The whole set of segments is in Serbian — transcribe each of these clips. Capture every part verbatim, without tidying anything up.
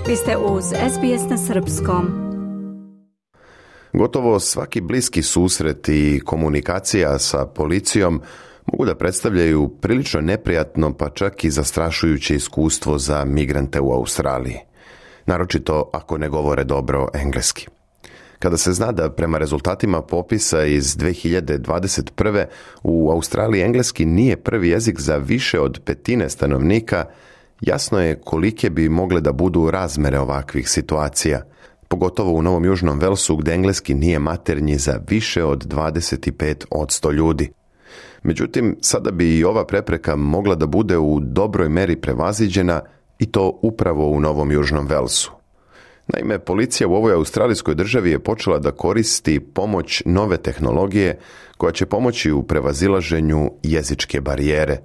Vi ste uz S B S na srpskom. Gotovo svaki bliski susret i komunikacija sa policijom mogu da predstavljaju prilično neprijatno, pa čak i zastrašujuće iskustvo za migrante u Australiji. Naročito ako ne govore dobro engleski. Kada se zna da prema rezultatima popisa iz dve hiljade dvadeset prve. u Australiji engleski nije prvi jezik za više od petine stanovnika, jasno je kolike bi mogle da budu razmere ovakvih situacija, pogotovo u Novom Južnom Velsu gdje engleski nije maternji za više od dvadeset pet posto ljudi. Međutim, sada bi i ova prepreka mogla da bude u dobroj meri prevaziđena i to upravo u Novom Južnom Velsu. Naime, policija u ovoj australijskoj državi je počela da koristi pomoć nove tehnologije koja će pomoći u prevazilaženju jezičke barijere.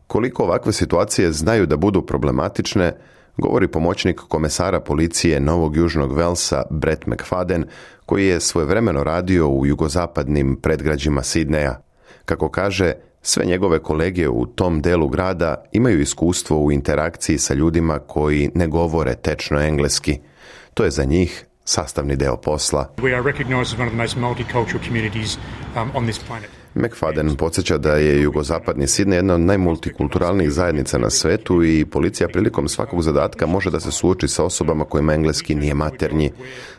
Koliko ovakve situacije znaju da budu problematične, govori pomoćnik komesara policije Novog Južnog Velsa Brett McFadden, koji je svojevremeno radio u jugozapadnim predgrađima Sidneja. Kako kaže, sve njegove kolege u tom delu grada imaju iskustvo u interakciji sa ljudima koji ne govore tečno engleski. To je za njih sastavni deo posla. We are recognized as one of the most multicultural communities um, on this planet. McFadden podsjeća da je jugozapadni Sidney jedna od najmultikulturalnijih zajednica na svetu i policija prilikom svakog zadatka može da se suoči sa osobama kojima engleski nije maternji.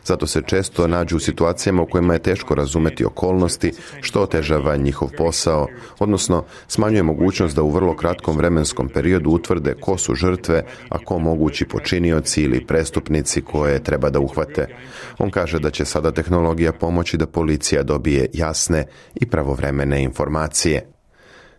Zato se često nađu u situacijama u kojima je teško razumeti okolnosti, što otežava njihov posao, odnosno smanjuje mogućnost da u vrlo kratkom vremenskom periodu utvrde ko su žrtve, a ko mogući počinioci ili prestupnici koje treba da uhvate. On kaže da će sada tehnologija pomoći da policija dobije jasne i pravovremene informacije.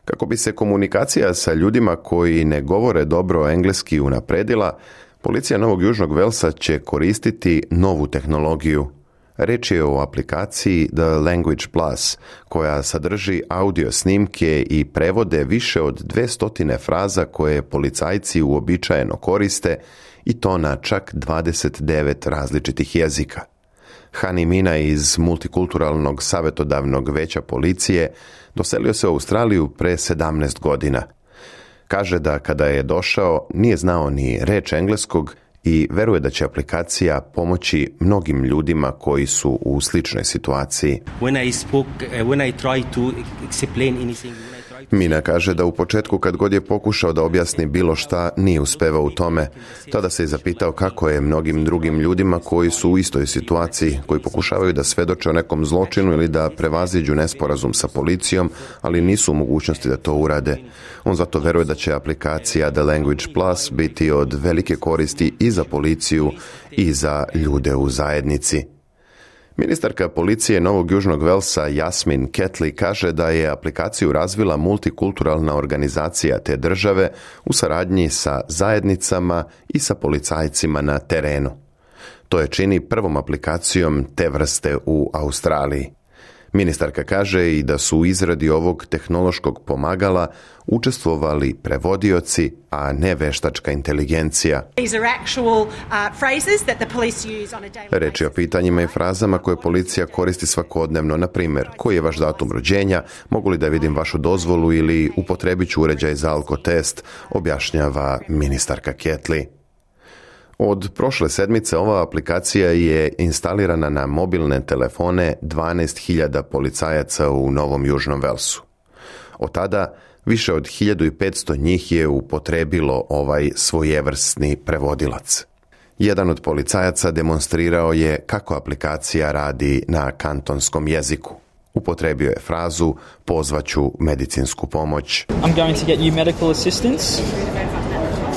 Kako bi se komunikacija sa ljudima koji ne govore dobro engleski unapredila, policija Novog Južnog Velsa će koristiti novu tehnologiju. Reč je o aplikaciji The Language Plus, koja sadrži audio snimke i prevode više od dvesta fraza koje policajci uobičajeno koriste, i to na čak dvadeset devet različitih jezika. Hani Mina iz Multikulturalnog savjetodavnog veća policije doselio se u Australiju pre sedamnaest godina. Kaže da kada je došao nije znao ni reč engleskog i veruje da će aplikacija pomoći mnogim ljudima koji su u sličnoj situaciji. When I spoke, uh, when I tried to explain anything, Mina kaže da u početku kad god je pokušao da objasni bilo šta, nije uspevao u tome. Tada se je zapitao kako je mnogim drugim ljudima koji su u istoj situaciji, koji pokušavaju da svedoče o nekom zločinu ili da prevaziđu nesporazum sa policijom, ali nisu u mogućnosti da to urade. On zato veruje da će aplikacija The Language Plus biti od velike koristi i za policiju i za ljude u zajednici. Ministarka policije Novog Južnog Velsa Jasmin Ketley kaže da je aplikaciju razvila multikulturalna organizacija te države u saradnji sa zajednicama i sa policajcima na terenu. To je čini prvom aplikacijom te vrste u Australiji. Ministarka kaže i da su u izradi ovog tehnološkog pomagala učestvovali prevodioci, a ne veštačka inteligencija. Reč je o pitanjima i frazama koje policija koristi svakodnevno, na primjer, koji je vaš datum rođenja, mogu li da vidim vašu dozvolu ili upotrebit ću uređaj za alkotest, objašnjava ministarka Ketley. Od prošle sedmice ova aplikacija je instalirana na mobilne telefone dvanaest hiljada policajaca u Novom Južnom Velsu. Od tada više od hiljadu petsto njih je upotrebilo ovaj svojevrsni prevodilac. Jedan od policajaca demonstrirao je kako aplikacija radi na kantonskom jeziku. Upotrebio je frazu pozvaću medicinsku pomoć. I'm going to get you medical assistance.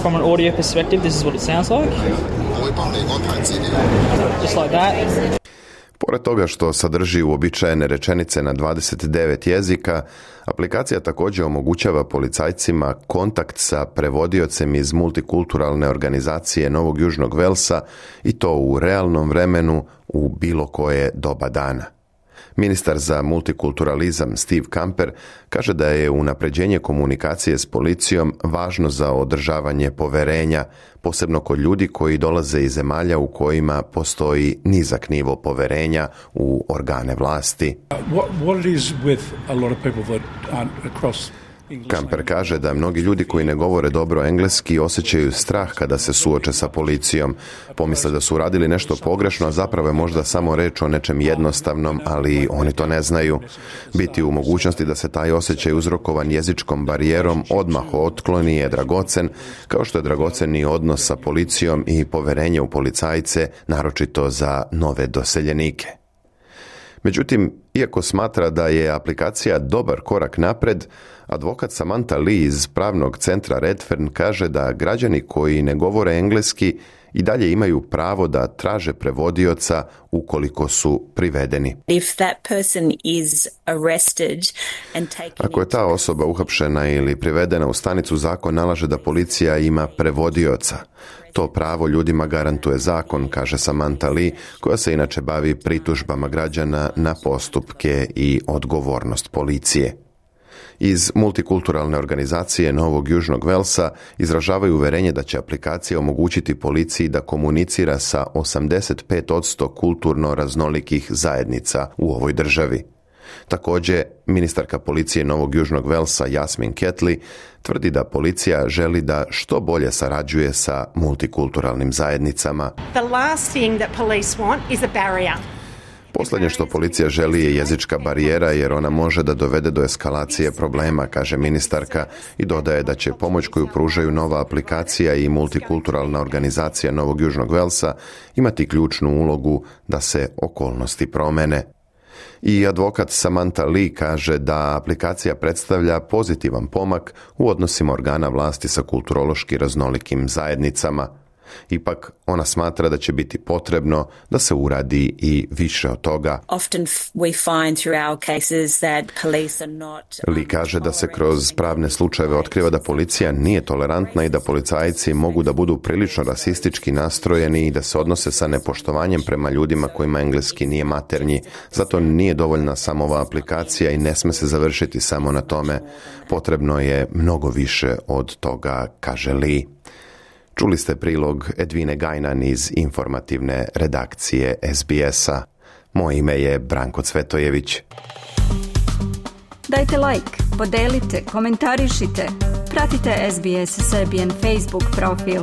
From an audio perspective, this is what it sounds like. Just like that. Pored toga što sadrži uobičajene rečenice na dvadeset devet jezika, aplikacija također omogućava policajcima kontakt sa prevodiocem iz multikulturalne organizacije Novog Južnog Velsa i to u realnom vremenu u bilo koje doba dana. Ministar za multikulturalizam Steve Camper kaže da je unapređenje komunikacije s policijom važno za održavanje poverenja, posebno kod ljudi koji dolaze iz zemalja u kojima postoji nizak nivo poverenja u organe vlasti. Kamper kaže da mnogi ljudi koji ne govore dobro engleski osjećaju strah kada se suoče sa policijom. Pomisle da su uradili nešto pogrešno, a zapravo je možda samo reč o nečem jednostavnom, ali oni to ne znaju. Biti u mogućnosti da se taj osjećaj uzrokovan jezičkom barijerom odmah otkloni je dragocen, kao što je dragocen i odnos sa policijom i poverenje u policajce, naročito za nove doseljenike. Međutim, iako smatra da je aplikacija dobar korak napred, advokat Samantha Lee iz pravnog centra Redfern kaže da građani koji ne govore engleski i dalje imaju pravo da traže prevodioca ukoliko su privedeni. If that person is arrested and taken Ako je ta osoba uhapšena ili privedena u stanicu, zakon nalaže da policija ima prevodioca. To pravo ljudima garantuje zakon, kaže Samantha Lee, koja se inače bavi pritužbama građana na postupke i odgovornost policije. Iz multikulturalne organizacije Novog Južnog Velsa izražavaju uverenje da će aplikacija omogućiti policiji da komunicira sa osamdeset pet posto kulturno raznolikih zajednica u ovoj državi. Također, ministarka policije Novog Južnog Velsa Jasmin Ketley tvrdi da policija želi da što bolje sarađuje sa multikulturalnim zajednicama. The last thing that police want is a barrier. Posljednje što policija želi je jezička barijera, jer ona može da dovede do eskalacije problema, kaže ministarka, i dodaje da će pomoć koju pružaju nova aplikacija i multikulturalna organizacija Novog Južnog Velsa imati ključnu ulogu da se okolnosti promene. I advokat Samantha Lee kaže da aplikacija predstavlja pozitivan pomak u odnosima organa vlasti sa kulturološki raznolikim zajednicama. Ipak, ona smatra da će biti potrebno da se uradi i više od toga. Lee kaže da se kroz pravne slučajeve otkriva da policija nije tolerantna i da policajci mogu da budu prilično rasistički nastrojeni i da se odnose sa nepoštovanjem prema ljudima kojima engleski nije maternji. Zato nije dovoljna samo ova aplikacija i ne sme se završiti samo na tome. Potrebno je mnogo više od toga, kaže Lee. Čuli ste prilog Edvine Gajnan iz informativne redakcije S B S-a. Moje ime je Branko Cvetojević. Dajte like, podelite, komentarišite. Pratite S B S Serbian Facebook profil.